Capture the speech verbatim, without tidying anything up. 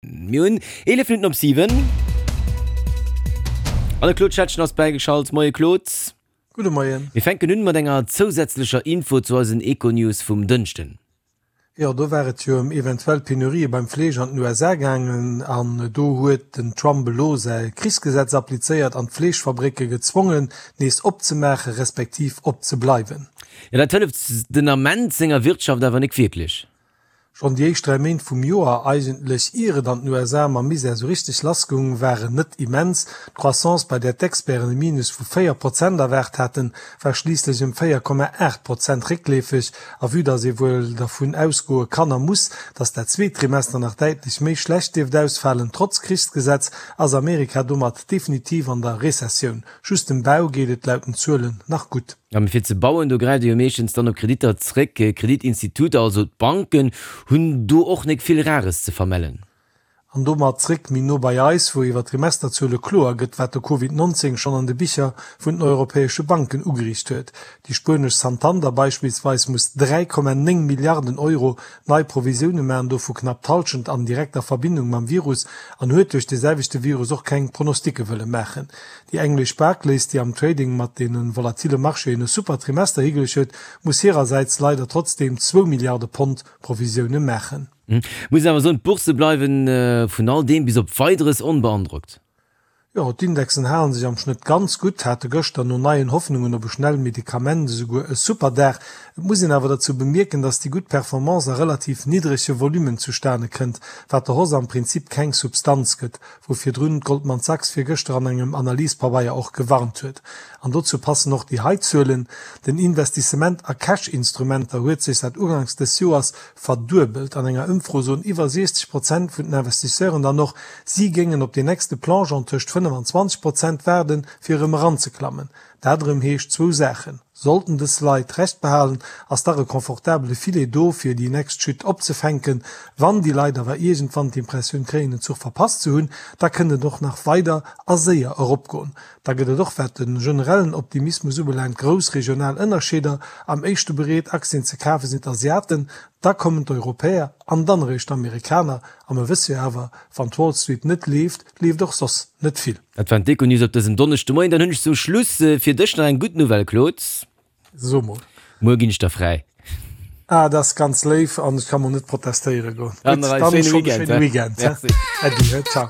Mir hunn eelef Minutten op siwen. An de Claude Schettgen ass bäigeschalt. Moie Claude. Gudde Moien. Mir fänken un mat enger zousätzlecher Info zu eisen Econews vum Dënschden. Jo, do war et jo ëm eventuell Penurië beim Fleesch an den U S A gaangen an do huet den Trump elo säi Krichsgesetz applizéiert an d'Fleeschfabrécke gezwongen, nees opzemaache respektiv opzebleiwen. Jo, dat hëlleft den Ament senger Wirtschaft awer nik wierklech. Schonn déi éischt dräi Méint vum Joer, eigentlech ier et an den U S A mam Misär sou richteg lassgoung, waren net immens. D'Croissance, bei där d'Experten e Minus vu véier Prozent erwaart haten, war schliisslech ëm véier Komma aacht Prozent réckleefeg. A vue datt ee wuel dervun ausgoe kann a muss, datt dat zweet Trimester nach däitlech méi schlecht dierft ausfalen, trotz Krichsgesetz, ass Amerika domat definitiv an der Rezessioun. Just dem Bau geet et laut den Zuelen nach gutt. Jo, mee fir ze bauen, do gräift ee jo meeschtens dann op Kreditter zréck. Kreditinstituter, also d'Banken, hunn do och nik vill Rares ze vermellen. An domat zréck méi no bei eis, wou iwwer d'Trimesterzuele kloer gëtt, wat de Covid nonzéng schonn an de Bicher vun den europäesche Banken ugeriicht huet. Déi spuenesch Santander beispillsweis muss dräi Komma néng Milliarden Euro nei Provisioune maachen, dovu knapp d'Hallschent an direkter Verbindung mam Virus, an huet duerch de selwechte Virus och keng Pronosticke wëlle maachen. Déi englesch Barclays, déi am Trading mat deene volatile Marchéen e super Trimester higeluecht huet, muss hirersäits leider trotzdeem zwou Milliarde Pond Provisioune maachen. Muss een awer soen, d'Boursse bleiwen vun all deem bis op Weideres onbeandrockt. Jo, d'Indexen halen sech am Schnëtt ganz gutt, hate gëschter no neien Hoffnungen op e schnell Medikament esouguer e super Dag. Et muss een awer derzou bemierken, datt déi gutt Performance a relativ niddrege Volummen zustane kënnt, wat der Hausse am Prinzip keng Substanz gëtt, wou virdrun d'Goldman Sachs virgëschter an engem Analysepabeier och gewarnt huet. An dozou passen och déi hei Zuelen, Den Investissement a Cash-Instrumenter huet sech säit uganks dës Joers verduebelt. An enger Ëmfro soen iwwer siechzeg Prozent vun den Investisseuren dann och, si géingen op deen nächste Plongeon tëscht fënnef an zwanzeg Prozent waarden, fir erëm eranzeklammen. Dat erëm heescht zwou Saachen, Sollten dës Leit Recht behalen, ass dach e confortabele Filet do, fir déi nächst Chute opzefänken. Wann déi Leit awer iergendwann d'Impressioun kréien, en Zuch verpasst ze hunn, da kënnt et och nach weider a séier eropgoen. Da gëtt et och, wat de generellen Optimismus ubelaangt, grouss regional Ënnerscheeder. Am éischte bereet, Aktien ze kafe sinn d'Asiaten, da kommen d'Europäer an dann eréischt d'Amerikaner. A mer wësse jo awer, wann d'Wall Street net leeft, leeft och soss net vill. Dat waren d'Econews op dësem Donneschdemoien. Dann hunn ech zum Schluss fir dech nach eng gutt Nouvelle, Claude. So mol. Muer ginn ech der fräi. Ah, dat ass ganz léif an ech ka mol net protestéiere goen. Dann Gutt, nach dann e schéine schonn e Weekend, schéine he? Weekend, he? Merci. Äddi, he? Ciao.